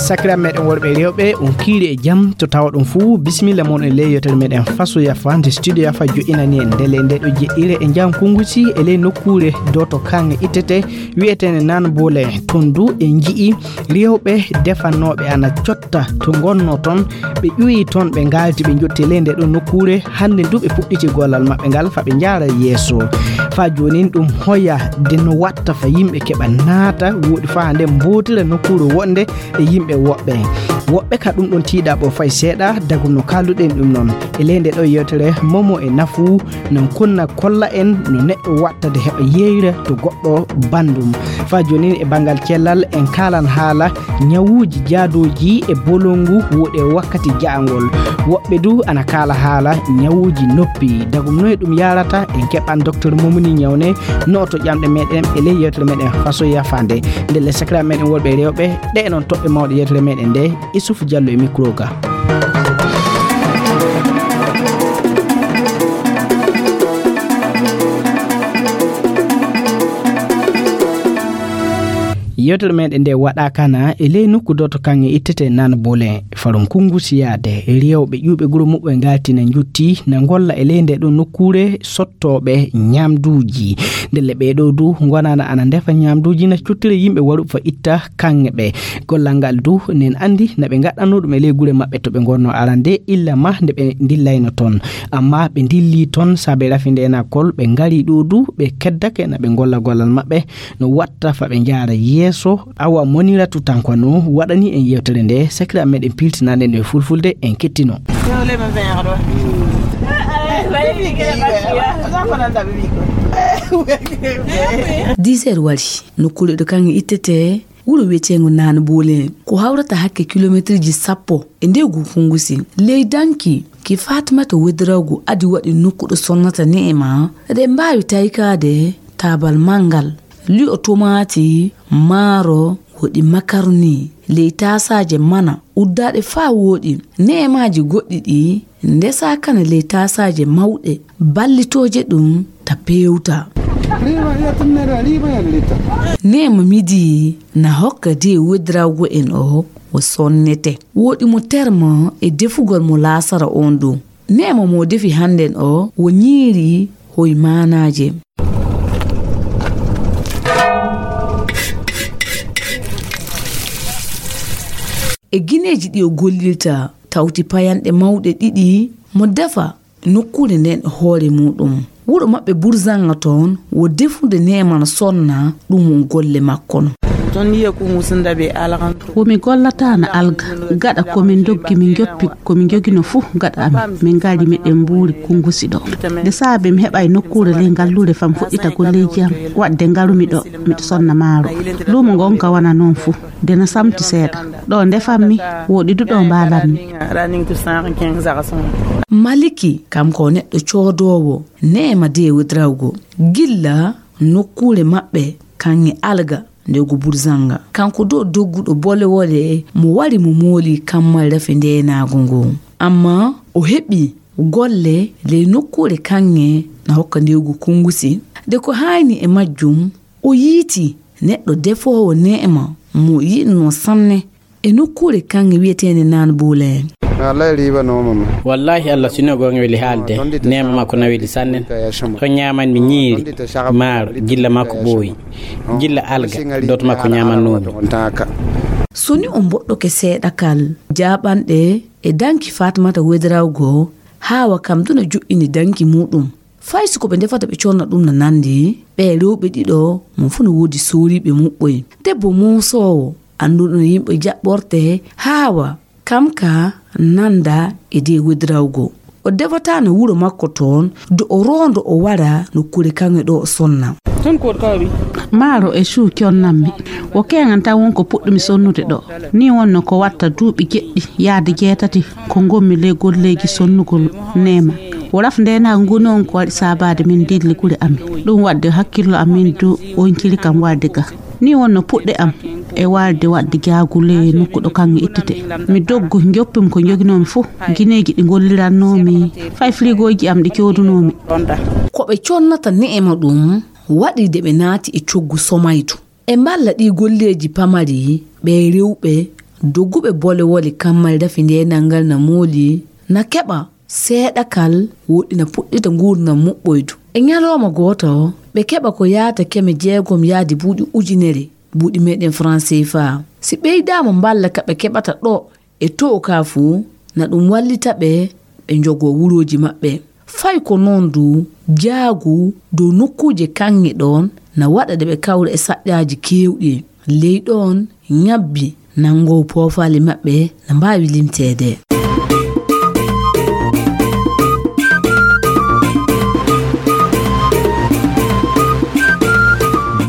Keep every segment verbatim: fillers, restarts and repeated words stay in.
Sakiraaɓe meɗen worɓe e rewɓe, on kiiri e jam to tawoɗon fuu. Bisimilla mon e ley yewtere meɗen Faso Yafa, nde Studio Yafa joƴƴinani en. Ndelle nde ɗo jeɗɗire e jam Kungusi e ley nokkuure Doto Kanŋe ittete, wi'eteende Naan Boole. Ton du en nji'i rewɓe defanooɓe ana cotta to ngonnoo ton. Ɓe ƴuwi ton, ɓe ngaalti, ɓe njotti e ley nde ɗo nokkuure. Hannde du ɓe puɗɗiti gollal maɓɓe ngal, fa ɓe njaara yeeso. Fa joonin ɗum hoya de no watta fa yimɓe keɓa naata, woɗi fa nde mbootira nokkuure woɗnde e yimɓe woɓɓe. Woɓɓe ka ɗum ɗon tiiɗa ɓo fay seeɗa, dagu no kaalduɗen ɗum noon. E ley nde ɗo yewtere, momo e nafu, nan konna kolla en no neɗɗo watta de heɓa yeeyra to goɗɗo banndum. Fa joonin e banngal cellal, en kaalan haala ñawuuji jaadooji e bolongu woɗi e wakkati ja'angol. Woɓɓe du ana kaala haala ñawuuji noppi. Dagum noye ɗum yaarata, en keɓan Docteur Momoni Ñawne, nooto ƴamɗe meɗen e ley yewtere meɗen Faso Yafa nde. Ndelle sakiraaɓe meɗen worɓe e rewɓe, ɗe e noon toɓɓe mawɗe yewtere meɗen nde, Issouf Diallo e micro ga. Yewtere meɗen nde waɗaaka na e ley nokku Doto Kanŋe ittete Naan Boole, farum Kungusi yaade. Rewɓe ƴuuɓe guro muɓɓe ngaalti na njotti, na ngolla e ley nde ɗo nokkuure sottooɓe ñaamduuji. Ndelle ɓee ɗo du ngonana ana ndefa ñaamduuji, na cottira yimɓe waruɓe fa itta kanŋe ɓe. Gollal ngal du nen anndi na ɓe ngaɗɗanoo ɗum e ley gure maɓɓe to ɓe ngonnoo arande, illa ma nde ɓe ndillayno ton. Amma ɓe ndilli ton saabe rafi ndeenaakol, ɓe ngari ɗo du, ɓe keddake na ɓe ngolla gollal maɓɓe, no watta fa ɓe njaara yeeso. Awa Moniratu Tankwa no waɗani en yewtere nde, sakiraaɓe meɗen piltinande nde fulfulde, en kettino. Dix heures wari, nokkuure ɗo kanŋe ittete, wuro wiyeteengo Naan Boole. Ko hawrata hakke kilometerji sappo e ndeegu Kungusi. Ley danki ki Fatimata Wedrawgo adi waɗi nokku ɗo sonnata Neema, eɗen mbaawi taykaade taabal manngal, li'o tomaati, maaro, woɗi makaroni, ley taasaaje mana, uddaaɗe faa wooɗi, neemaaji goɗɗi ɗi ndesaa kana ley taasaaje mawɗe, ballitooje ɗum ta peewta. Neema midi na hokka de wedrawgo en o, o sonnete. Wooɗi mo termo e defugol mo laasara on ɗum. Neema mo defi hannden o, wo ñiiri hoy maanaaje. E gineeji ɗi o gollirta, tawti payanɗe mawɗe ɗiɗi mo defa nokkuure nden e hoore muɗum. Wuro maɓɓe Burzanga toon, wo defude neeman sonna, ɗum won golle makko no. Ton yiya ko musinda ɓe alakan. Wo mi gollataana alga, gaɗa ko min doggi, min njoppi ko min njogino fuu gaɗa amin. Min ngari, miɗen mbuuri Kungusi ɗo. Nde saabe mi heɓay nokkuure ley ngalluure fam fuɗɗita golleeji am, waɗde ngarumi ɗo, miɗo sonna maaro. Luumo ngon ka wana noon fuu, nde na samti seeɗa. Ɗo ndefammi, wooɗi du ɗo mbaalanmi. Maliki, kam ko neɗɗo coodoowo, neema de wedrawgo. Gilla nokkuure maɓɓe, kaŋŋe alga, nde ko Burzanga. Kanko do dogguɗo bole wole mo wari mo mooli kammal rafi ndeenaago ngo. Amma o heɓi golle ley nokkuure kaŋŋe na hokka ndewgu Kungusi. De ko haayni e majjum, o yiiti neɗɗo defoowo neema mo yiɗnoo sanne e nokkuure kaŋŋe wiyeteende Naan Buuleen. Wallahi riiba nooma ma. Wallahi Allah sino goonga weli haalde, neema makko na weli sanne. Ɗon ñaaman mi ñiiri, maaro, gilla makko ɓooyi. Gilla alga, dooto makko ñaamannoomi. Soni on mboɗɗoke seeɗa kal, jaaɓanɗe e danki Fatmata Wedrawgo, haawa kam duna joƴƴini danki muuɗum. Fay si ko ɓe ndefata ɓe conna ɗum na nanndi, ɓe rewɓe ɗiɗo, mo fuu no woodi sooriiɓe muɓɓoy. Debbo moosoowo, annduɗo no yimɓe jaɓɓorte, haawa, kam ka nannda e de wedrawgo. O defataano wuro makko toon, do o roondo o wara nokkuure kaŋŋe ɗo o sonna. Maaro e cuu connammi. Wo keeŋan tan won ko puɗɗumi sonnude ɗo. Ni wonno ko watta duuɓi jeɗɗi yaade jeetati ko ngonmi ley golleeji sonnugol neema. Wo raf ndeenaagu ngu noon ko waɗi saabaade min dilli gure amin. Ɗum waɗde hakkillo am min du onciri kam warde ga. Ni wonno puɗɗe am e warde waɗde jaagu ley nokku ɗo kaŋŋe ittete. Mi doggu, njoppumi ko njoginoomi fuu, gineeji ɗi ngollirannoomi, fay firigooji am ɗi coodunoomi. Ko ɓe connata neema ɗum waɗi de ɓe naati e coggu somaydu. E mballa ɗii golleeji pamari, ɓe rewɓe Dogguɓe bolewole kammari rafi ndeenal ngal na mooli, na keɓa seeɗa kal woɗɗi na puɗɗita nguurndam muɓɓoydu. E ñalooma gooto, ɓe keɓa ko yaata keme jeegom yaadi buuɗi ujunere, buuɗi meɗen franc C F A. Si ɓeydaama mballa ka ɓe keɓata ɗo e to'o ka fuu, na ɗum wallita ɓe ɓe njogoo wulooji maɓɓe. Fay ko noon du, jaagu dow nokkuuje kaŋŋe ɗoon na waɗa ɗe ɓe kawra e saƴƴaaji keewɗi. Ley ɗoon, ñabbi nanngow poofaali maɓɓe na mbaawi limteede.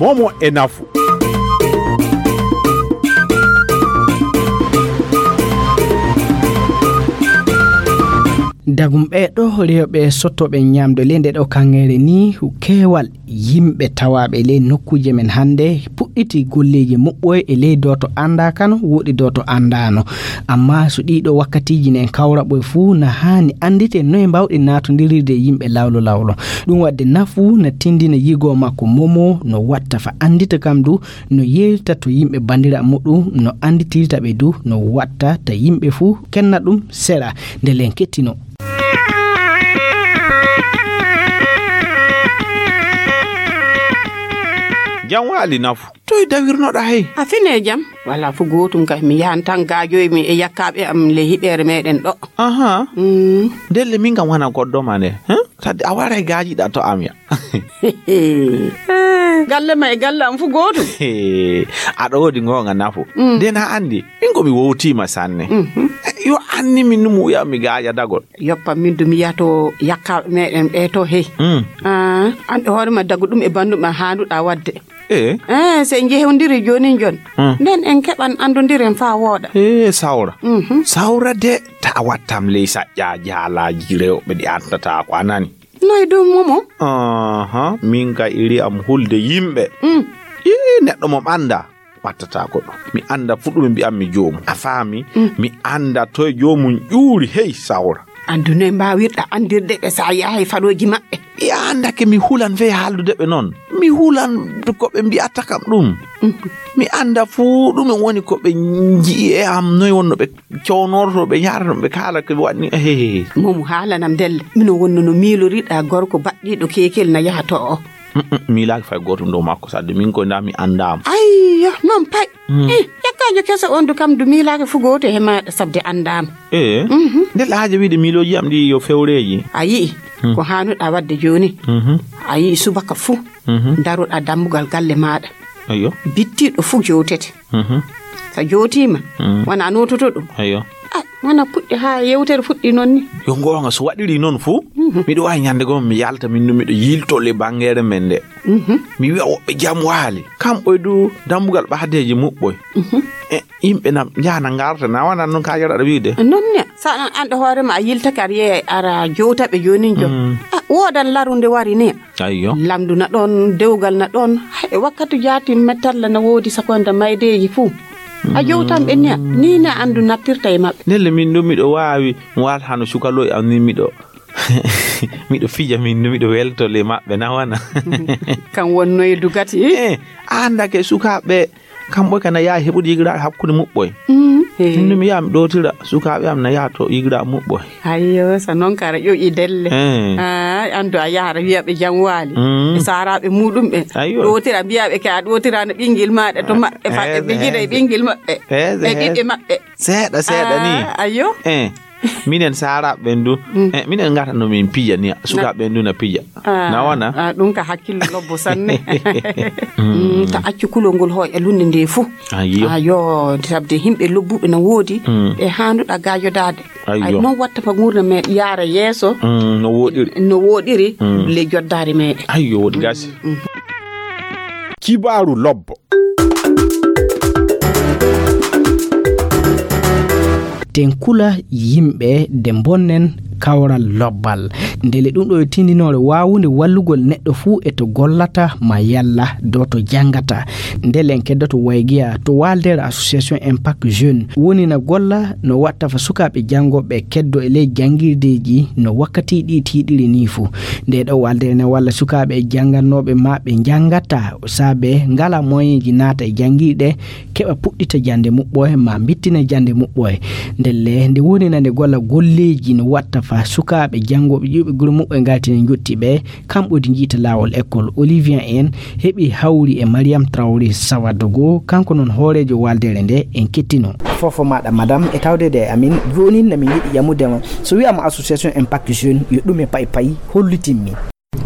Momo e nafu. Dagum ɓee ɗo rewɓe sottooɓe ñaamde ley nde ɗo kaŋŋeere ni, keewal yimɓe tawaaɓe ley nokkuuje men hannde puɗɗiti golleeji muɓɓoy e ley dooto anndaa kano, woɗi dooto anndaano. Amma so ɗii ɗo wakkatiiji nen kawra ɓoy fuu, na haani anndite noye mbaawɗi naatondirirde e yimɓe lawlo lawlo. Ɗum waɗde nafu na tindina yigoo makko Momo no watta fa anndita kam du, no yeewta to yimɓe banndiraaɓe muɗum, no annditirta ɓe du, no watta ta yimɓe fuu kenna ɗum seɗa nde len kettino. Jam waali nafu. Toy dawirnoɗa hey? A fine jam? Wala fu gootum kay, mi yahan tan gaajoy mi e yakkaaɓe am le hiɓeere meɗen ɗo. Aha. Mm. Ndelle min kam wana goɗɗo ma nde. Huh? Tadde a waray gaajiɗa to am ya. Galle ma e galle am fu gootum. Aɗa woodi ngoonga nafu. Mm. Nde na anndi, min ko mi wowtiima sanne. Mhm. Yo anni min ɗum wi'a mi gaaja dagol. Yoppa min du mi yato yakkaaɓe meɗen ɓe to hey. Mm. Ah, an hoore ma dagu ɗum e bandu ma handuɗa wadde. Eh? Eh, se en jehondiri jooni jon. Hmm. Nden en keɓan anndondiren faa wooɗa. Eh, sawra. Mhm. Sawra de, ta wattam ley saƴƴa jaalaaji rewɓe ɗi anndata ko a nani. Noy ɗum, Momo? Aha, min ka iri am hulde yimɓe. Mm. Ii, neɗɗo mo mi annda, wattata ko ɗum. Mi annda fu ɗum mi mbi'an mi joomum. A faami? Mm. Mi annda toy joomum ƴuuri, hey, sawra. Anndu noy mbaawirɗa anndirde ɓe sa yahay falooji maɓɓe? Mi anndake mi hulan fey haaldude ɓe noon. Mi hulan ko ɓe mbi'ata kam ɗum. Mhm. Mi annda fuu ɗume woni ko ɓe nji'i e am, noy wonno ɓe cownorto, ɓe njaarata, ɓe kaala ko waɗni. Ehe. Momo haalanam ndelle. Mino wonno no miiloriɗa gorko baɗɗiiɗo keekel na yaha to o. Mm, mm, miilaaki fay gootum dow makko, sadde min koy ndaa mi anndaama. Ayyo, noon pay. Mm. Eh, yakkaajo keso on du kam du miilaaki fu gooto he maaɗa sabde anndaama. Eh, mhm. Nde laaje wiide miilooji am ɗi yo fewreeji. A yi'i, hmm, ko haanuɗa waɗde jooni. Mhm. A yi'i subaka fu, mhm, daroɗa dambugal galle maaɗa. Ayyo. Bittiiɗo fu jowtete. Mhm. So jowtiima, hmm, wona noototo ɗum. Ayyo. Ah, wona puɗɗi haa yewtere fuɗɗi noon ni. Yo ngoonga so waɗiri noon fu, mhm, miɗo waawi ñande goo mi yalta min ɗum miɗo yilto le banngeere men nde. Mhm. Mi wi'a woɓɓe jam waali. Kamɓe du dambugal ɓahdeeji muɓɓoy. Mhm. E yimɓe na njahana ngarta na wona noon ka yaraɗa wiide. Noon ne, sa an anɗo hoore ma a yiltake aɗa yeeya ara jowtaɓe jooni jom. Mm. Ah, woodan larunde wari ne. Ayyo. Lamdu na ɗoon, dewgal na ɗoon. Hay, e wakkati jaati mettalla na woodi sakonda maydeeji fuu. A jowtan ɓe niya. Ni na anndu nattirta e maɓɓe. Ndelle min ɗo miɗo waawi mi waalta hano sukaloy am ni miɗo miɗo fija min du miɗo welto le maɓɓe na wana. Kan wonnoy dugati. Eh, andake sukaaɓe kamɓe kana yaha heɓude yigiraaɓe hakkunde muɓɓoy. Mm. Eh. Min du mi yaha mi ɗootira sukaaɓe am na yaha to yigiraaɓe muɓɓoy. Ayyo, sa noon kara ƴoƴi delle. Eh. Ah, andu a yahara wiya ɓe jam waali. Mm. E saaraaɓe muɗum ɓe. Ayyo. Ɗootira mbiya ɓe ke a ɗootirano ɓingel maɗa to maɓɓe fa ɓe jida e ɓingel maɓɓe. E ɓiɓɓe maɓɓe. Seeɗa seeɗa ni. Ah, ayyo. Eh. Minen saaraaɓe ɓen du, mm, eh, minen ngata no min pija ni, sukaaɓe ɓen du na pija. Ah, na wona? Ah, ɗum ka hakkillo lobbo sanne. Mm. Mm, ta accu kulol ngol hooƴa lunde nde fuu. Ayyo. Ayyo, sabde yimɓe lobbuɓe na woodi, mm, ɓe haanduɗa gaajodaade. Ayyo. Ay, noon watta fa nguurna men yaara yeeso. Mm, no woɗiri. No woɗiri, mm, le joddaari meɗen. Ayyo, woɗi gasi. Mm, mm. Kibaaru lobbo. Ten kula yimɓe de mbonnen kawral lobbal. Ndele ɗum ɗo e tindinoore waawunde wallugol neɗɗo fuu e to gollata ma yalla dow to janngata. Ndele en keddoto Waygiya to waaldeere Association Impact Jeune woni na golla no watta fa sukaaɓe janngooɓe keddo e ley janngirdeeji no wakkati ɗi tiiɗiri nii fuu. Nde ɗo waaldeere ne walla sukaaɓe janngannooɓe ma ɓe njanngata saabe ngala moyenji naata e janngirɗe keɓa puɗɗita jannde muɓɓoye ma mbittina jannde muɓɓoye. Ndelle nde wonina nde golla golleeji no watta fa sukaaɓe janngooɓe ƴuuɓe gure muɓɓoye ngartine njotti ɓe kamɓe di njiita laawol école. Olivier en heɓi hawri e Mariam Traoré Sawadogo, kanko noon hooreejo waaldeere nde en kettino. Fofo maɗa madame e tawdede e amin. Jooni na min yiɗi yamude ma so wiyama association impact jeune yo ɗume pay pay hollitinmi.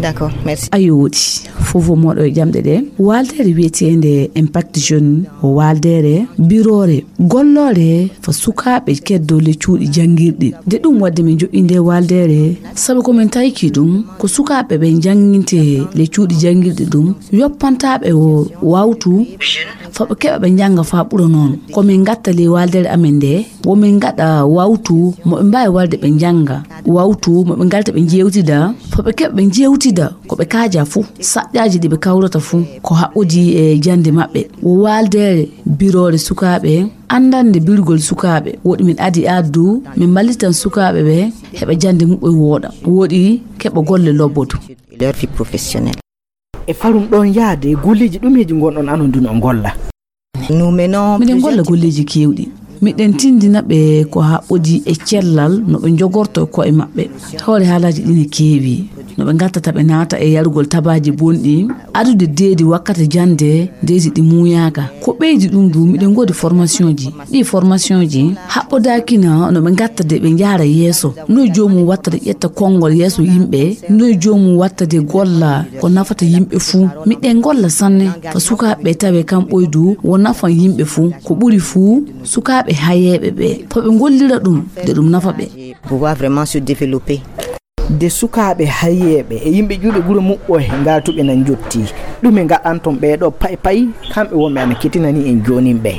D'accord, merci. A yooɗi. Fof o moɗo e jamɗe ɗe. Waaldeere wiyeteende Impact Jeune o waaldeere biroore golloore fa sukaaɓe keddo le cuuɗi janngirɗi. Nde ɗum waɗde min joƴƴinde waaldeere, sabu ko min tayki ɗum, ko sukaaɓe ɓe njannginte le cuuɗi janngirɗi ɗum, yoppantaaɓe o wawtu, fa ɓe keɓa ɓe njannga fa ɓura noon. Ko min ngatta le waaldeere amen nde, wo min ngaɗa wawtu mo ɓe mbaawi warde ɓe njannga, wawtu mo ɓe ngarta ɓe njeewtida, fa ɓe keɓa ɓe njeewtida ko ɓe kaaja fuu, saƴƴaaji ɗi ɓe kawrata fuu, ko haɓɓodii e jannde maɓɓe. Wo waaldeere biroore sukaaɓe, anndande birgol sukaaɓe, woɗi min adi addu, min mballitan sukaaɓe ɓe heɓa jannde muɓɓoye wooɗa, woɗi keɓa golle lobbodo. Leur vie professionnelle. E farum ɗon yaade golleeji ɗumeeji ngonɗon anon dun on golla? Nous menons miɗen golla golleeji keewɗi. Miɗen tindina ɓe ko haɓɓodii e cellal no ɓe njogorto ko'e maɓɓe. Hoore haalaaji ɗin e keewi. No ɓe ngattata ɓe naata e yarugol tabaaji bonɗi, adude deedi wakkati jannde, deedi ɗi muuyaaka. Ko ɓeydi ɗum du, miɗen ngoodi formation ji. Ɗi formation ji haɓɓodaakina no ɓe ngatta de ɓe njaara yeeso. No joomum watta de ƴetta konngol yeeso yimɓe. No joomum watta de golla ko nafata yimɓe fuu. Miɗen golla sanne fa sukaaɓe tawe kam ɓoydu wo nafan yimɓe fuu. Ko ɓuri fuu sukaaɓe hayeeɓe ɓe. Fa ɓe ngollira ɗum de ɗum nafa ɓe. Pouvoir vraiment se développer. De sukaaɓe hayeeɓe e yimɓe ƴuuɓe gure muɓɓoye ngartuɓe nan jotti. Ɗume ngaɗanton ɓee ɗo pay pay kamɓe wonɓe ana ketinani en joonin ɓe?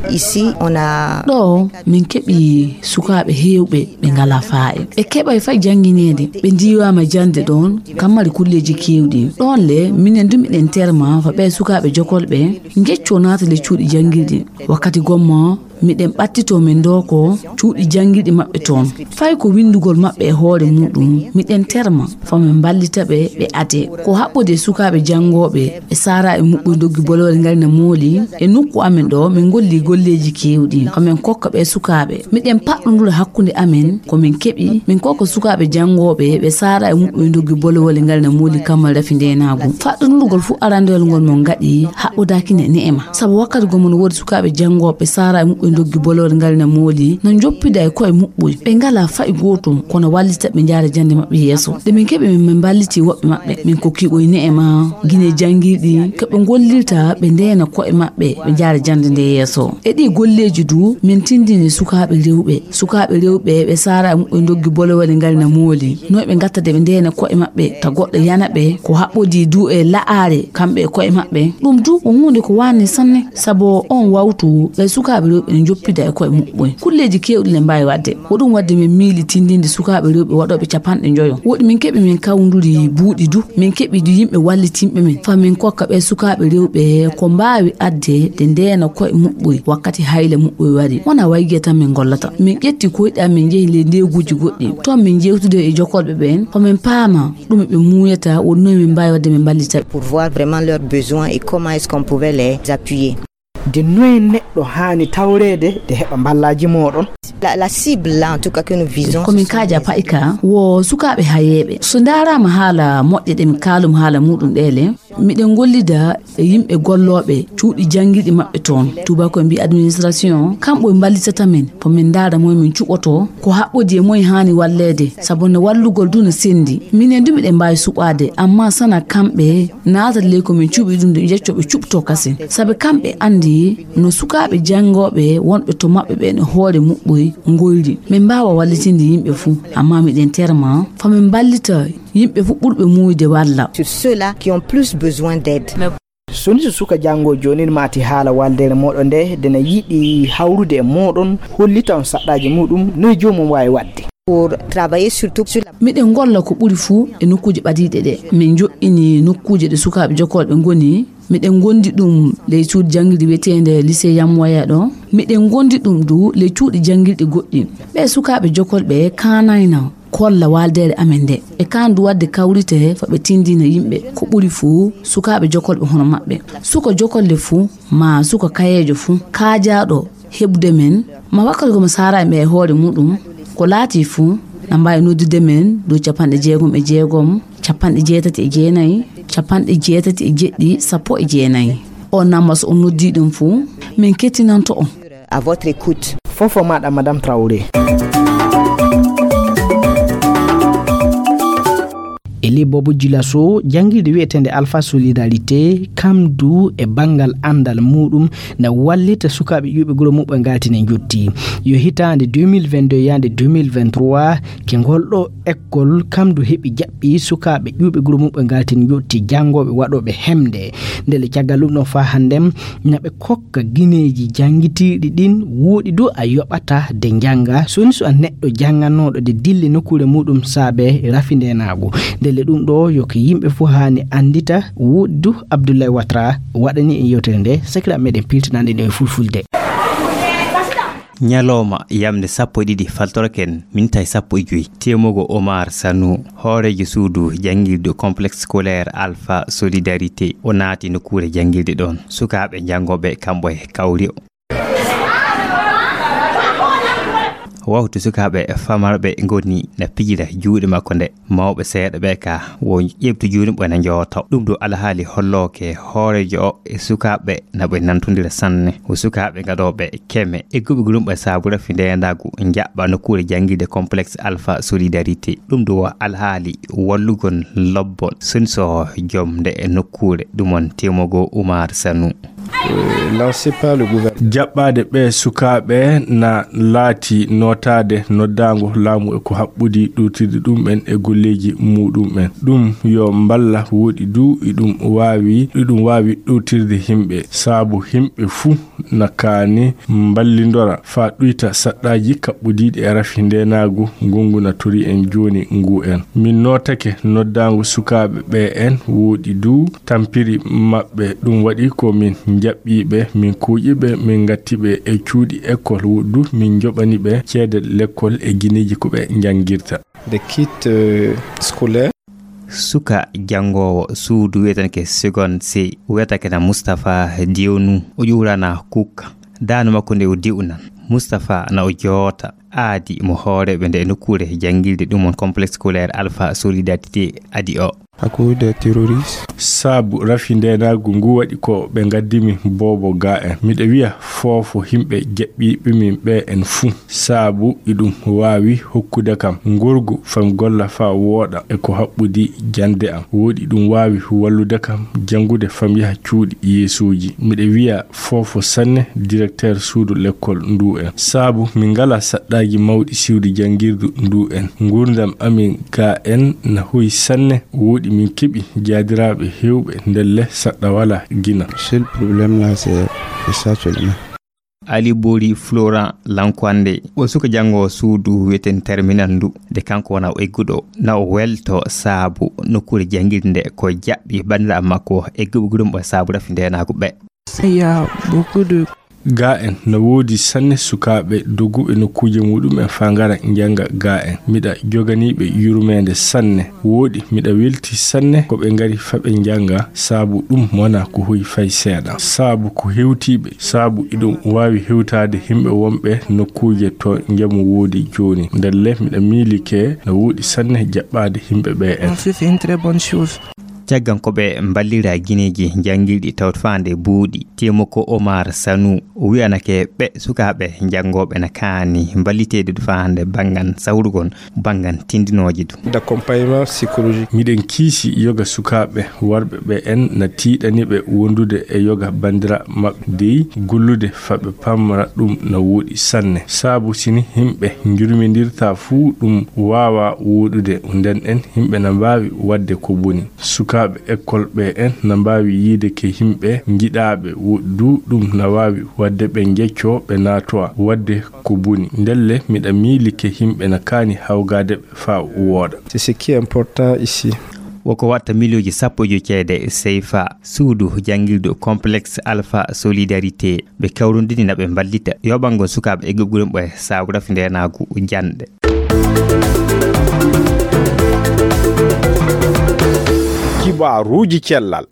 Ici, on a ɗo min keɓi sukaaɓe heewɓe ɓe ngalaa faa'e. Ɓe keɓay fay janngineede, ɓe ndiiwaama jannde ɗoon, kam mari kulleeji keewɗi. Ɗoon le, minen du miɗen terma fa ɓee sukaaɓe jokolɓe, njeccoo naata le cuuɗi janngirɗi. Wakkati gomma, miɗen ɓattitoo min ndooko cuuɗi janngirɗi maɓɓe toon. Fay ko winndugol maɓɓe e hoore muuɗum, miɗen terma fa min mballita ɓe, ɓe adee. Ko haɓɓodii e sukaaɓe janngooɓe, ɓe saaraa e muɓɓoye ndoggi bolowal ngal na mooli. E nokku amen ɗo, min ngollii golleeji keewɗi. Ko min kokka ɓee sukaaɓe. Miɗen paɗɗondura hakkunde amen, ko min keɓi, min kokka sukaaɓe janngooɓe, ɓe saaraa e muɓɓoye ndoggi bolowal ngal na mooli kammal rafi ndeenaagu. Faɗɗondurgol fuu arandewal ngol mon ngaɗi, haɓɓodaakina e ne'e ma. Sabu wakkati goo mon woodi sukaaɓe janngooɓe saaraa e muɓɓoye ndoggi bolowal ngal na mooli, no njoppida e ko'e muɓɓoye. Ɓe ngalaa fay gootum, kono wallita ɓe njaara jannde maɓɓe yeeso. Nde min keɓi min, min mballiti woɓɓe maɓɓe, min kokki ɓoy ne'e ma, gine janngirɗi, ko ɓe ngollirta, ɓe ndeena ko'e maɓɓe, ɓe njaara jannde nde yeeso. E ɗii golleeji du, min tindini sukaaɓe rewɓe. Sukaaɓe rewɓe, ɓe saaraa e muɓɓoye ndoggi bolowal ngal na mooli. No ɓe ngatta de ɓe ndeena ko'e maɓɓe, ta goɗɗo yana ɓe, ko haɓɓodii du e la'aare, kamɓe e ko'e maɓɓe. Ɗum du ko huunde ko waani sanne. Sabu on wawtu, ɓe sukaaɓe rewɓe ne njoppida e ko'e muɓɓoye. Kulleeji keewɗi ne mbaawi waɗde. Ko ɗum waɗde min miili tindinde sukaaɓe rewɓe waɗooɓe capanɗe njoyo. Woɗi min keɓi min kawnduri buuɗi du. Min keɓi du yimɓe wallitinɓe min. Fa min kokka ɓe sukaaɓe rewɓe ko mbaawi adde de ndeena ko'e muɓɓoye wakkati hayla muɓɓoye wari. Wona Waygiya tan min gollata. Min ƴetti koyɗe amen, min njehi ley ndeeguuji goɗɗi. Toon min njeewtidi e jokolɓe ɓeen. Fa min paama ɗume ɓe muuyata, woni noye min mbaawi waɗde min mballita ɓe. Pour voir vraiment leurs besoins et comment est-ce qu'on pouvait les appuyer. De noye neɗɗo haani tawreede de heɓa mballaaji mooɗon? La, la cible là, en tout cas, que nous visons, ko min kaaja pa'i ka, wo sukaaɓe hayeeɓe. So ndaaraama haala moƴƴe ɗe mi kaalum haala muuɗum ɗee le, miɗen ngollida e yimɓe gollooɓe cuuɗi janngirɗi maɓɓe toon. Tuubaako'en mbi'i administration, kamɓe mballitata min, ko min ndaara moye min cuɓotoo, ko haɓɓodii e moye haani walleede, sabu no wallugol du no senndi. Minen du miɗen mbaawi suɓaade, ammaa sana kamɓe naata ley ko min cuɓi ɗum de njeccoo ɓe cuɓtoo kasen. Sabu kamɓe anndi no sukaaɓe janngooɓe wonɓe to maɓɓe ɓeen e hoore muɓɓoye ngoyri. Min mbaawa wallitinde yimɓe fuu, ammaa miɗen terma fa min mballita yimɓe fuu ɓurɓe muuyde walla. Sur ceux-là qui ont plus besoin d'aide. So ni so suka janngoo joonin maati haala waaldeere mooɗon nde, de na yiɗi hawrude e mooɗon, hollita on saɗɗaaji muuɗum, noye joomum waawi waɗde? Miɗen ngolla ko ɓuri fuu e nokkuuje ɓadiiɗe ɗe. Min njoɓɓini nokkuuje ɗe sukaaɓe jokolɓe ngoni. Miɗen ngondi ɗum ley cuuɗi janngirɗi wiyeteende Lycée Yamwaya ɗo. Miɗen ngondi ɗum du ley cuuɗi janngirɗi goɗɗi. Ɓee sukaaɓe jokolɓe kaanayna kolla waaldeere amen nde. E kaan du waɗde kawrite fa ɓe tindina yimɓe ko ɓuri fuu sukaaɓe jokolɓe hono maɓɓe. Suka jokolle fuu, maa suka kayeejo fuu, kaajaaɗo heɓude men, ma wakkati ko mo saara e ɓe e hoore muɗum, ko laati fuu, na mbaawi noddude men dow capanɗe jeegom e jeegom, capanɗe jeetati e jeenayi, capanɗe jeetati e jeɗɗi, sappo e jeenayi. On namma so on noddii ɗum fuu, min kettinanto on. À votre écoute. Fofo maɗa, Madame Traoré. Eli Bobo Jilaso, janngirde wiyeteende Alpha Solidarité, kam du e banngal anndal muɗum na wallita sukaaɓe ƴuuɓe guro muɓɓe ngaltine njotti. Yo hitaande deux mille vingt-deux yaande deux mille vingt-trois, ke ngol ɗo ekkol kam du heɓi jaɓɓi sukaaɓe ƴuuɓe guro muɓɓe ngaltine njotti, janngooɓe waɗooɓe hemde. Ndele caggal ɗum ɗo faa hannden na ɓe kokka gineeji janngitiiɗi ɗin, wooɗi du a yoɓata de njannga. Soni so a neɗɗo jannganooɗo de dille nokkuure muɗum saabe rafi ndeenaagu. Ndele ɗum ɗo yo ko yimɓe fof haani anndita, wooɗi du Abdoulaye Ouattara waɗani en yewtere nde, sakiraaɓe meɗen piltinande ɗum e fulfulde. Ñalawma yamnde sappo e ɗiɗi faltoroken, minitaji sappo e joy. Temogo Omar Sanu, hooreejo suudu janngirde complexe scolaire Alpha Solidarité, o naati nokkuure janngirde ɗoon. Sukaaɓe janngooɓe kamɓe e kawri o. Waktu sukaaɓe famarɓe ngoni na pijira juuɗe makko nde, mawɓe seeɗa ɓe ka wo ƴeɓtu juuɗe ɓe na njooto. Ɗum ɗo alhaali hollooke hooreejo o e sukaaɓe na ɓe nantondira sanne. Ko sukaaɓe gaɗooɓe keme e guɓe gulumɓe saabu rafi ndeenaagu njaɓɓa nokkuure janngirde complexe Alpha Solidarité. Ɗum ɗo alhaali wallugol lobbol soni so jom nde e nokkuure ɗum on Temogo Oumar Sanou. Lancé par le gouvernement. Jaɓɓaade ɓee sukaaɓe na laati nootaade noddaango laamu e ko haɓɓodi ɗowtirde ɗum'en e golleeji muɗum'en. Ɗum yo mballa wooɗi du iɗum waawi, iɗum waawi ɗowtirde himɓe, saabu himɓe fuu na kaani mballindora faa ɗuyta saɗɗaaji kaɓɓodiiɗi e rafi ndeenaagu ngongu na tori en jooni ngu en. Min nootake noddaango sukaaɓe ɓee en wooɗi du tampiri maɓɓe. Ɗum waɗi ko min njaɓɓii ɓe, min kuuƴi ɓe, min ngatti ɓe e cuuɗi ekkol du, min njoɓani ɓe ceede lekkol e gineeji ko ɓe njanngirta. Des kits, euh, scolaires. Suka janngoowo suudu wiyetenke Seconde C, wiyetake na Moustapha Diewnou, o ƴuurana kukka. Daanu makko nde o diwnan. Moustapha na o joota aadi mo hooreeɓe nde e nokkuure janngirde ɗum on complexe scolaire Alpha Solidarité adi o. À cause des terroristes. Saabu rafi ndeenaagu ngu waɗi ko ɓe ngaddimi boobo ga en. Miɗa wiya foofo himɓe jaɓɓiiɓe min ɓe en fuu. Saabu iɗum waawi hokkude kam ngorgu fam golla faa wooɗa e ko haɓɓodi jannde am. Wooɗi ɗum waawi wallude kam janngude fam yaha cuuɗi yeesuuji. Miɗa wiya foofo sanne directeur suudu lekkol ndu en. Saabu min ngalaa saɗɗaaji mawɗi siwdi janngirdu ndu en. Nguurndam amin ga en na hoyi sanne. Wooɗi min keɓi jaadiraaɓe heewɓe ndelle saɗɗa walaa gina. Seul problème là, c'est, c'est ça seulement. Ali Bori Florent Lankwande, o suka janngo suudu wiyeten terminal ndu, nde kanko wona o egguɗo, na o welto saabu nokkuure janngirde nde ko jaɓɓi banndiraaɓe makko egguɓe gudumɓe saabu rafi ndeenaagu ɓe. Il y a beaucoup de Ga en, na woodi sanne sukaaɓe doguɓe nokkuuje muɗum'en faa ngara njannga ga en. Miɗa joganii ɓe yurmeende sanne. Wooɗi, miɗa weltii sanne ko ɓe ngari faa ɓe njannga, saabu ɗum wonaa ko hoyi fay seeɗa. Saabu ko hewtii ɓe, saabu iɗum waawi hewtaade himɓe wonɓe nokkuuje to njamu woodi jooni. Ndelle, miɗa miilike na woodi sanne jaɓɓaade himɓe ɓe en. On fait une très bonne chose. Caggal ko ɓe mballira gineeji janngirɗi tawat faande buuɗi, Temogo Omar Sanu o wiyanake ɓe sukaaɓe janngooɓe na kaani mballiteede faande banngal sawrugol, banngal tindinooje du. D'accompagnement psychologique. Miɗen kiisi yoga sukaaɓe worɓe ɓe en na tiiɗani ɓe wondude e yoga banndiraaɓe maɓɓe dey gollude faa ɓe pamra ɗum na wooɗi sanne. Saabu sini himɓe njurmindirta fuu ɗum waawaa wooɗude, nden en himɓe na mbaawi waɗde ko boni. Suka Sukaaɓe ekkol ɓe en na mbaawi yiyde ke yimɓe njiɗaaɓe, wo-, du ɗum na waawi waɗde ɓe njeccoo, ɓe naatoo waɗde ko boni. Ndelle miɗa miili ke yimɓe na kaani hawgaade ɓe faa wooɗa. C'est ce qui est important ici. Woko waɗta miliyooji sappo e joy ceede seyfa. Suudu janngirdu Complexe Alpha Solidarité, ɓe kawrondini na ɓe mballita yoɓangol sukaaɓe e gugguren ɓe saabu rafi ndeenaagu janɗe. Kibaaruuji cellal.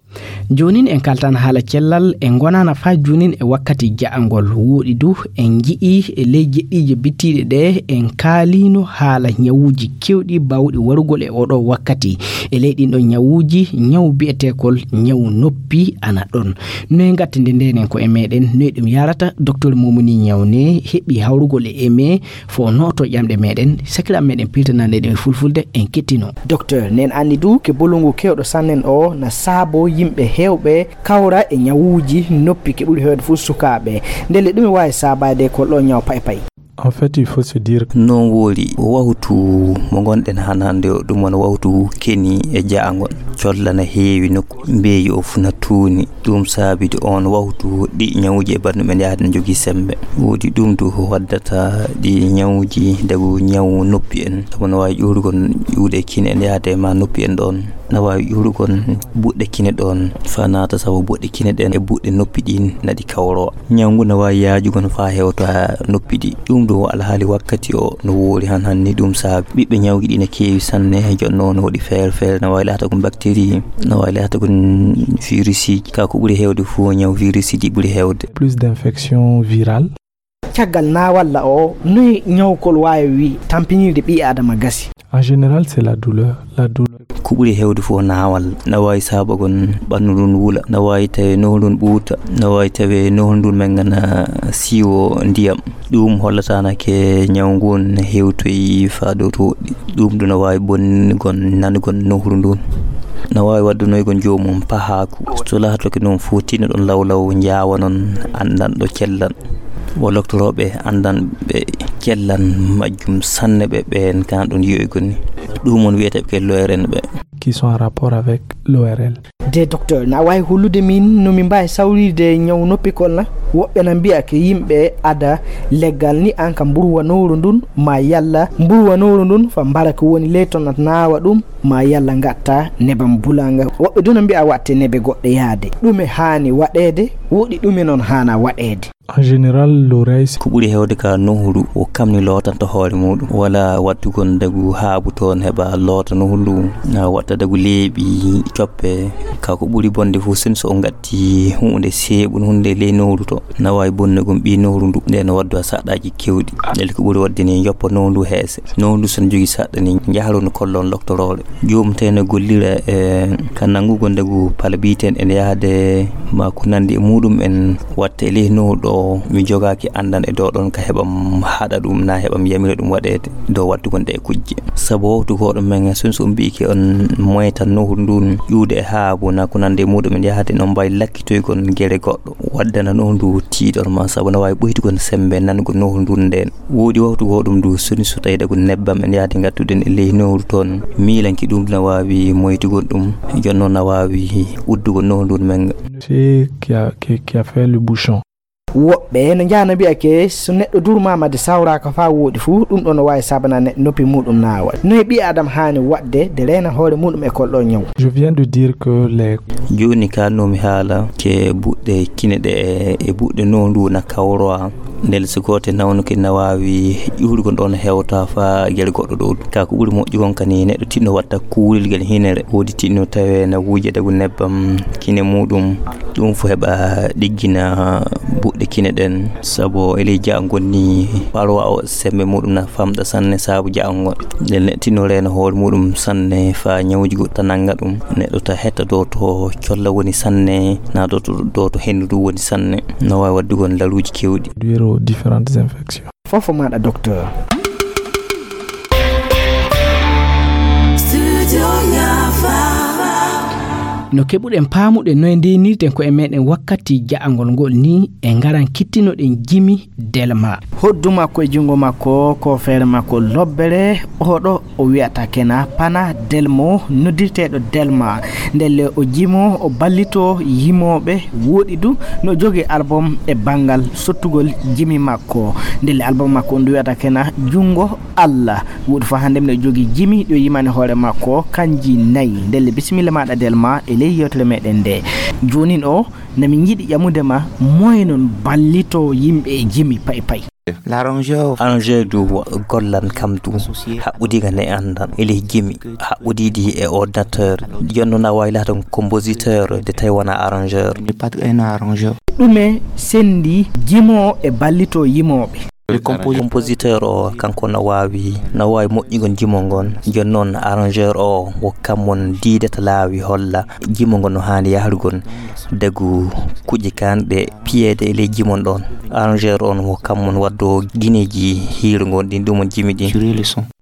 Joonin en kaltan haala cellal, en ngonaana faa joonin e wakkati ja'angol. Wooɗi du, en nji'ii e ley jeɗɗiije bittiiɗe ɗe, en kaaliino haala ñawuuji keewɗi baawɗi warugol e oɗo wakkati. E ley ɗin ɗon ñawuuji, ñawu bi'eteekol ñawu noppi ana ɗon. Noy ngattinde ndenen ko e meɗen, noy ɗum yarata? Docteur Momoni Ñawne heɓi hawrugol e eme fo nooto ƴamɗe meɗen, sakiraaɓe meɗen piltanande ɗum e fulfulde, en kettino. Docteur, nen anndi du ke bolongu kewɗo sannen o na saabo yimɓe heewɓe kawra e ñawuuji noppi ke ɓuri heewde fof sukaaɓe. Ndelle ɗum e waawi saabaade ko ɗo ñaw pay pay. En fait, il faut se dire que non woori, wawtu mo ngonɗen han hannde o, ɗum wona wawtu keni e jaangol. Colla na heewi nokku, mbeeyi o fuu na tuuni. Ɗum saabidi on wawtu ɗi ñawuuji e banndum en yahde no jogii semmbe. Woodi ɗum du waddata ɗi ñawuuji, dagu ñawu noppi en. Sabu no waawi ƴuurugol ƴuuɗe kine en yahde ma noppi en ɗon. No waawi ƴuurugol buɗɗe kine ɗon faa naata, sabu buɗɗe kine ɗen e buɗɗe noppi ɗin na ɗi kawroo. Ñawu ngu no waawi yaajugol faa hewta noppi ɗi. Ɗum ɗo alhaali wakkati o no woori han hanni, ɗum saabi ɓiɓɓe ñawuuji ɗi no keewi sanne. Jooni noon no waɗi feere feere, no waawi laatagol bactérie, no waawi laatagol virus. Ka ko ɓuri heewde fof, ñaw virus ɗi ɓuri heewde. Plus d'infection virale. Caggal naawalla o, noy ñawkol waawi tampinirde ɓii Aadama gasi? En général, c'est la douleur. La douleur. Ko ɓuri heewde fof naawal. Na waawi saabagol ɓanndu ndun wula. Na waawi tawee nohru ndun ɓuuta. Na waawi tawee nohru ndun mengana siiwo ndiyam. Ɗum hollataana ke ñaw ngun hewtoyi faa dow tooɗi. Ɗum ɗum no waawi bonnugol nanugol nohru ndun. No waawi waddunoygol joomum pahaaku. So laatoke noon fof, tinno ɗon lawlaw, njaawa noon anndanɗo cellal. Wo loktorooɓe anndanɓe cellal majjum sanne ɓe, ɓeen kan ɗum yi'oygol ni. Ɗum on wiyetee ɓe ke l'O R N ɓe. Qui sont en rapport avec l'O R L. De docteur, na waawi hollude min no min mbaawi sawrirde ñaw noppikol na? Woɓɓe na mbi'a ke yimɓe ada leggal ni an ka mburwa nowru ndun, ma yalla mburwa nowru ndun fa mbara ko woni ley ton na naawa ɗum, ma yalla ngatta nebam bulanga. Woɓɓe du na mbi'a watte nebe goɗɗe yaade. Ɗume haani waɗeede? Woɗi ɗume non haana waɗeede? En général, l'oreille, c'est ko ɓuri heewde ka nohru, o kamni lootanta hoore muɗum. Wala wattugol dagu haabu toon heɓa loota nohru, na watta dagu leeɓi coppe. Ka ko ɓuri bonde fof, sen so o ngatti huunde seeɓun, huunde ley nohru to, na waawi bonnugol ɓii nohru ndu, nde no waddu saɗɗaaji kewɗi. Ndelle ko ɓuri waɗde ni, joppa nohru ndu heese. Nohru ndu so no jogii saɗɗa ni, njaharon kollon loktorooɗo. Joomum tawi no gollira e ka nanngugol dagu pala biyeten ene yahde ma ko nanndi e muɗum en, watta e ley nohru ɗo mi jogaaki anndan e dow ɗon ka heɓam haɗa ɗum na heɓam yamira ɗum waɗeede dow wattugol ɗe kujje. Sabu wowtu ko ɗum men, so, so on mbi'ike on moytan nohru ndun ƴuude e haabu na ko nanndi e muɗum en yahde, no mbaawi lakkitoygol gere goɗɗo, waddana nohru ndu tiiɗor ma, sabu no waawi ɓoytugol semmbe nanugol nohru ndun nden. Woodi wawtu goo ɗum du soni so tawi dagu nebbam en yahdi ngattuɗen e ley nohru toon. Miilanki ɗum na waawi moytugol ɗum, jooni noon na waawi uddugol nohru ndun men. C'est qui a, qui, qui a fait le bouchon. Woɓɓe no njahana mbi'a ke so neɗɗo durmaama de sawraaka faa wooɗi fuu, ɗum ɗo no waawi saabana neɗɗo noppi muɗum naawa. Noye ɓii Aadama haani waɗde de reena hoore muɗum e kol ɗo ñaw? Je viens de dire que les Jooni ka no mi haala ke buɗɗe kine ɗe e buɗɗe nohru ndu na kawroa. Ndelle so gooto nawnuke na waawi ƴuurgol ɗoon hewta faa gere goɗɗo ɗo. Ka ko ɓuri moƴƴugol kani neɗɗo tinno watta kuulel gel hinere. Woodi tinno tawe na wuuje dagu nebbam kine muɗum. Ɗum fof heɓa ɗiggina buɗɗe kine ɗen. Sabu e ley jaangol ni, parwa o semmbe muɗum na famɗa sanne sabu jaangol. Nden neɗɗo tinno reena hoore muɗum sanne faa ñawuuji goɗɗi ta nannga ɗum. Neɗɗo ta hetta dow to colla woni sanne, na dow to, dow to henndu ndu woni sanne. No waawi waɗdugol laruuji keewɗi. Réduire aux différentes infections. Fofo maaɗa, docteur. Studio Yafa. No keɓuɗen paamude noye ndeynirten koye meɗen wakkati ja'angol ngol ni, e ngaran kittinoɗen Jimi Delma. Hoddu makko e junngo makko, ko feere makko lobbere, oɗo o wiyata kena Pana Delmo, noddirteeɗo Delma. Ndelle o jimo, o ballito yimooɓe, woɗi du no jogi album e banngal sottugol jimi makko. Ndelle album makko on du wiyata kena Junngo Allah. Woɗi fa hannde mino jogi jimi ɗo yimani hoore makko, kanji nayi. Ndelle bisimilla maɗa Delma e ley yewtere meɗen nde. Jonin o, na min yiɗi ƴamude ma, moye non ballito yimɓe e jimi pay pay. L'arrangeur. Arrangeur du gollan kam du haɓɓudiga ne andan e ley jimi haɓɓudiɗi e ordinateur. Jonnon a wawi laata compositeur de tawi wona arrangeur. N'est pas un arrangeur. Ɗume sendi jimo e ballito yimooɓe? Le compo- Compositeur o kanko no wawi no wawi moƴƴugol jimo ngon. Jonnon arrangeur o wo kammon diidata laawi holla jimo ngon no hani yahrugol. Dagu kuƴƴe kanɗe piyeede e ley jimon ɗon. Arrangeur on wo kammon waddo gineji hiirugol ɗin ɗumon jimi ɗin.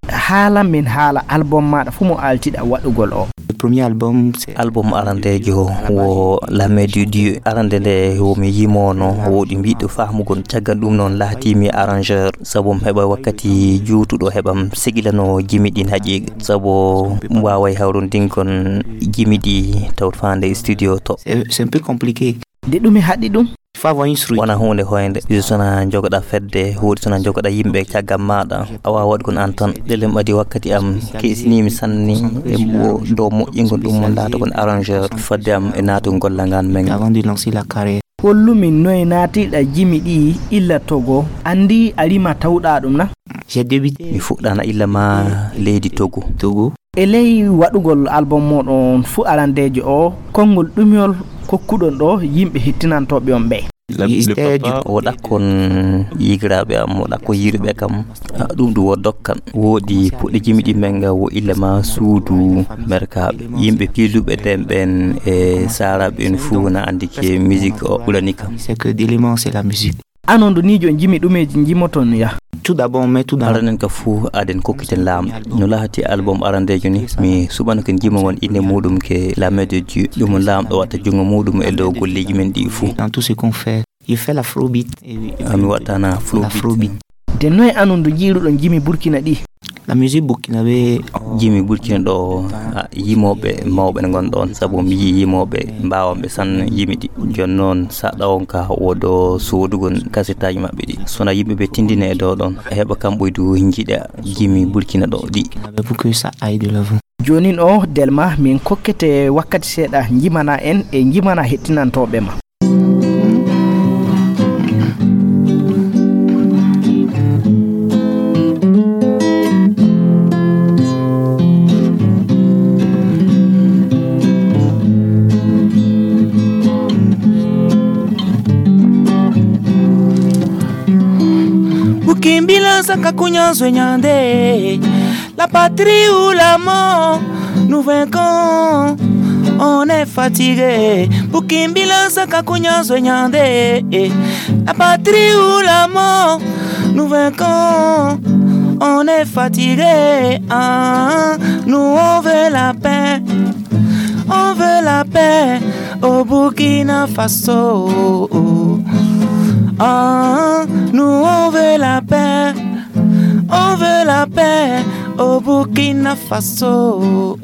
Haala min haala album maɗa fu mo altiɗa waɗugol o. Le premier album, c'est album arandejo wo La Main de Dieu. Arande nde wo mi yimono woɗi mbiɗo fahmugol, caggal ɗum noon laatimi arrangeur sabu mi heɓa wakkati juutuɗo heɓam segilano jimi ɗin haqiiqa, sabu mi waway hawrondingol jimi ɗi taw fande studio to. C'est c'est un peu compliqué. De ɗum e haɗi ɗum. Fa voin sru. Wona hunde hoynde. Iso sona jogoɗa fedde, huuɗi sona jogoɗa yimɓe caggal maɗa. A wawa waɗugol an tan. Ɗelem adi wakkati am kesinimi sanni e mo- dow moƴƴingol ɗum mo laatagol arrangeur fadde am e naatugol golla ngan men. Avant de lancer la carrière. Hollumi noye naatiɗa jimi ɗi illa Togo, andi a rima tawɗa ɗum na? J'ai débuté. Mi fuɗɗana illa ma leydi Togo. Togo. E ley waɗugol album moɗon fu arandejo o, konngol ɗumyol kokkuɗon ɗo yimɓe hettinantoɓe on ɓe? Stage. O ɗakkon yigiraɓe am, o ɗakkon yiruɓe kam. Ah, ɗum ɗum wo dokkan. Woodi puɗɗe jimi ɗi men nga wo illa ma suudu merkaɓe. Yimɓe piluɓe nden ɓen e saraɓe en fuu na andi ke musique o ɓurani kam. C'est que d'éléments, c'est la musique. Anon do niijo en jimi ɗumeji jimoton ya? Tout d'abord, on met tout dans la. Aranen ka fuu aden kokkiten laamɗo. No lahati album arandejo ni, mi suɓano ken jimo ngon inde muɗum ke La Main de Dieu. Ɗum on laamɗo watta jungo muɗum e dow golleji men ɗi fuu. Dans tout ce qu'on fait, il fait l'afrobeat. Et oui, il fait. Ah, mi wattana afrobeat. L'afrobeat. De noye anon do jiiruɗon jimi Burkina ɗi? La musique burkinabé. Jimi Burkina ɗo, ah, yimoɓe mawɓe ne ngon ɗon, sabu mi yii yimoɓe mbawanɓe sanne jimi ɗi. Jon noon saɗa on ka wodo sodugol kasetaji maɓɓe ɗi. Sona yimɓe ɓe tindine e dow ɗon, heɓa kam ɓoydu jiiɗa jimi Burkina ɗo ɗi. Pour que ça aille de l'avant. Jonin o Delma min kokkete wakkati seeɗa jimana en e jimana hettinantoɓe ma. Bukimbila saka kunyanso nyande. La patrie ou la mort, nous vaincrons, on est fatigué. Bukimbila saka kunyanso nyande. La patrie ou la mort, nous vaincrons, on est fatigué. Ah, nous on veut la paix, on veut la paix au Burkina Faso. Ah, nous on veut la paix, on veut la paix au Burkina Faso.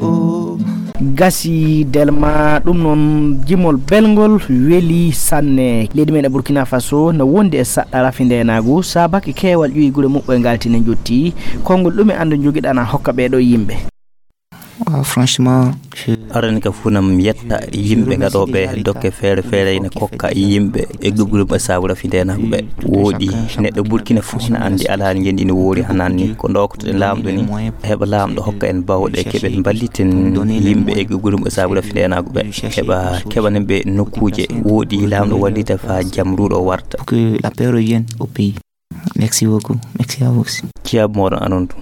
Gasi Delma, ɗum noon jimol belngol weli sanne. Leydi men e Burkina Faso no wondi e saɗɗa rafi ndenagu, sabaki keewal ƴuwi gure muɓɓoy ngalti ne jotti. Konngol ɗume andu jogiɗana hokka ɓeɗo yimɓe? Ah, franchement, je. Arani ka fuu nam yetta yimɓe gaɗoɓe dokke feere feere ina kokka yimɓe e gugulum e sabu rafi ndenagu ɓe. Woɗi neɗɗo Burkina fuu na andi alhaali ngendi ina woori hananni. Ko doktoɗen laamɗo ni, heɓa laamɗo hokka en bawɗe keɓen mballiten yimɓe e gugulum e sabu rafi ndenagu ɓe. Heɓa keɓanen ɓe nokkuuje woɗi laamɗo wallita fa jam ruuɗo warta. Pour que la paix revienne au pays. Merci beaucoup. Merci à vous aussi. Ciab moɗon anon tun.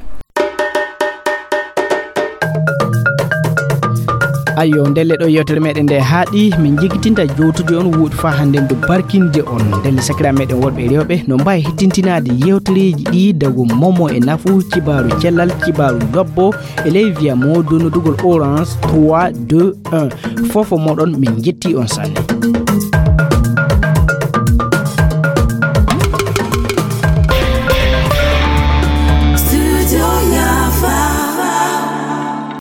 Ayo, ndelle ɗo yewtere meɗen nde haaɗi, min jiggitinta jowtude on wuuɗi faa hannde ndu barkinde on. Ndelle sakiraaɓe meɗen worɓe e rewɓe, no mbaawi hettintinaade yewtereeji ɗi dago momo e nafu, kibaaru cellal, kibaaru lobbo, e ley wiya mo donnodugol Orange trois deux un. Fofo moɗon, min njetti on sanne.